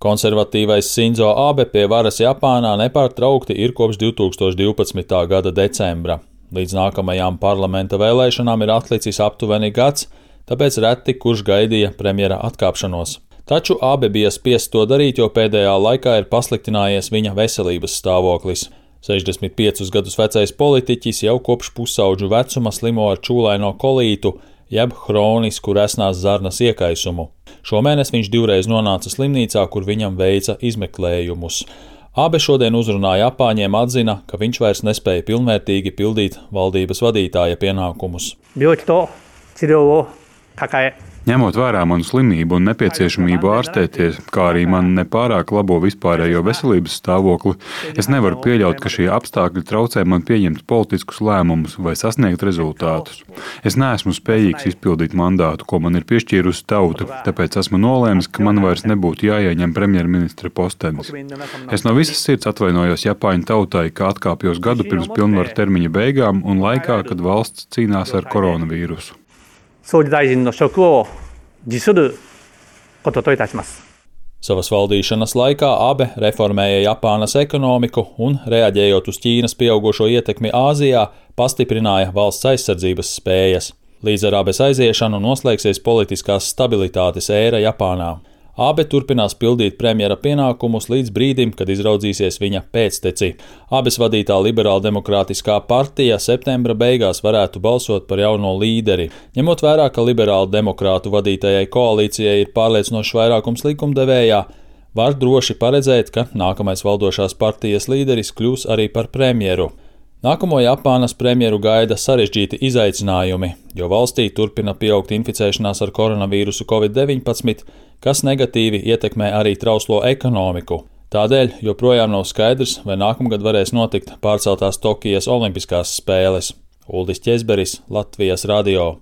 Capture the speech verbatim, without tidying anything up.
Konservatīvais Sinzo Abe pie varas Japānā nepārtraukti ir kopš divtūkstoš divpadsmitā gada decembra. Līdz nākamajām parlamenta vēlēšanām ir atlicis aptuveni gads, tāpēc reti kurš gaidīja premjera atkāpšanos. Taču Abe bija spiests to darīt, jo pēdējā laikā ir pasliktinājies viņa veselības stāvoklis. sešdesmit piecus gadus vecais politiķis jau kopš pusaudžu vecuma slimo ar čūlaino kolītu, jeb hronisku resnās zarnas iekaisumu. Šomēnes viņš divreiz nonāca slimnīcā, kur viņam veica izmeklējumus. Abe šodien uzrunā Japāņiem atzina, ka viņš vairs nespēja pilnvērtīgi pildīt valdības vadītāja pienākumus. Ņemot vērā manu slimību un nepieciešamību ārstēties, kā arī man nepārāk labo vispārējo veselības stāvokli, es nevaru pieļaut, ka šie apstākļi traucē man pieņemt politiskus lēmumus vai sasniegt rezultātus. Es neesmu spējīgs izpildīt mandātu, ko man ir piešķīrusi tauta, tāpēc esmu nolēmis, ka man vairs nebūtu jāieņem premjerministra postenis. Es no visas sirds atvainojos Japāņu tautai, ka atkāpjos gadu pirms pilnvaru termiņa beigām un laikā, kad valsts cīnās ar koronavīrusu. Savas valdīšanas laikā Abe reformēja Japānas ekonomiku un, reaģējot uz Ķīnas pieaugušo ietekmi Āzijā, pastiprināja valsts aizsardzības spējas. Līdz ar Abes aiziešanu noslēgsies politiskās stabilitātes ēra Japānā. Abe turpinās pildīt premjera pienākumus līdz brīdim, kad izraudzīsies viņa pēcteci. Abes vadītā liberāldemokrātiskā partija septembra beigās varētu balsot par jauno līderi. Ņemot vērā, ka liberāldemokrātu vadītajai koalīcijai ir pārliecinošs vairākums likumdevējā, var droši paredzēt, ka nākamais valdošās partijas līderis kļūs arī par premjeru. Nākamo Japānas premjeru gaida sarežģīti izaicinājumi, jo valstī turpina pieaugt inficēšanās ar koronavīrusu covid deviņpadsmit, kas negatīvi ietekmē arī trauslo ekonomiku. Tādēļ joprojām nav skaidrs, vai nākamgad varēs notikt pārceltās Tokijas olimpiskās spēles. Uldis Ķezberis, Latvijas radio.